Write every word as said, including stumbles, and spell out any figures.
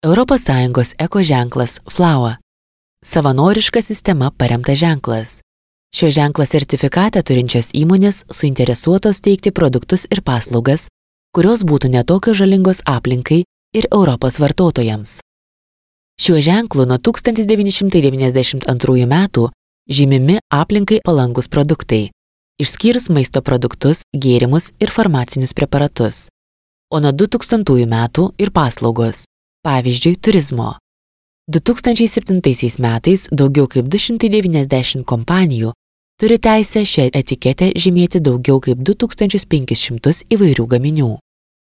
Europos Sąjungos eko ženklas Flower. Savanoriška sistema paremtas ženklas. Šio ženklo sertifikatą turinčios įmonės suinteresuotos teikti produktus ir paslaugas, kurios būtų netokios žalingos aplinkai ir Europos vartotojams. Šiuo ženklu nuo tūkstantis devyni šimtai devyniasdešimt antrųjų metų žymimi aplinkai palankus produktai, išskyrus maisto produktus, gėrimus ir farmacinius preparatus, o nuo du tūkstantųjų metų ir paslaugos, pavyzdžiui, turizmo. du tūkstančiai septintaisiais metais daugiau kaip du šimtai devyniasdešimt kompanijų turi teisę šią etiketę žymėti daugiau kaip du tūkstančius penkis šimtus įvairių gaminių.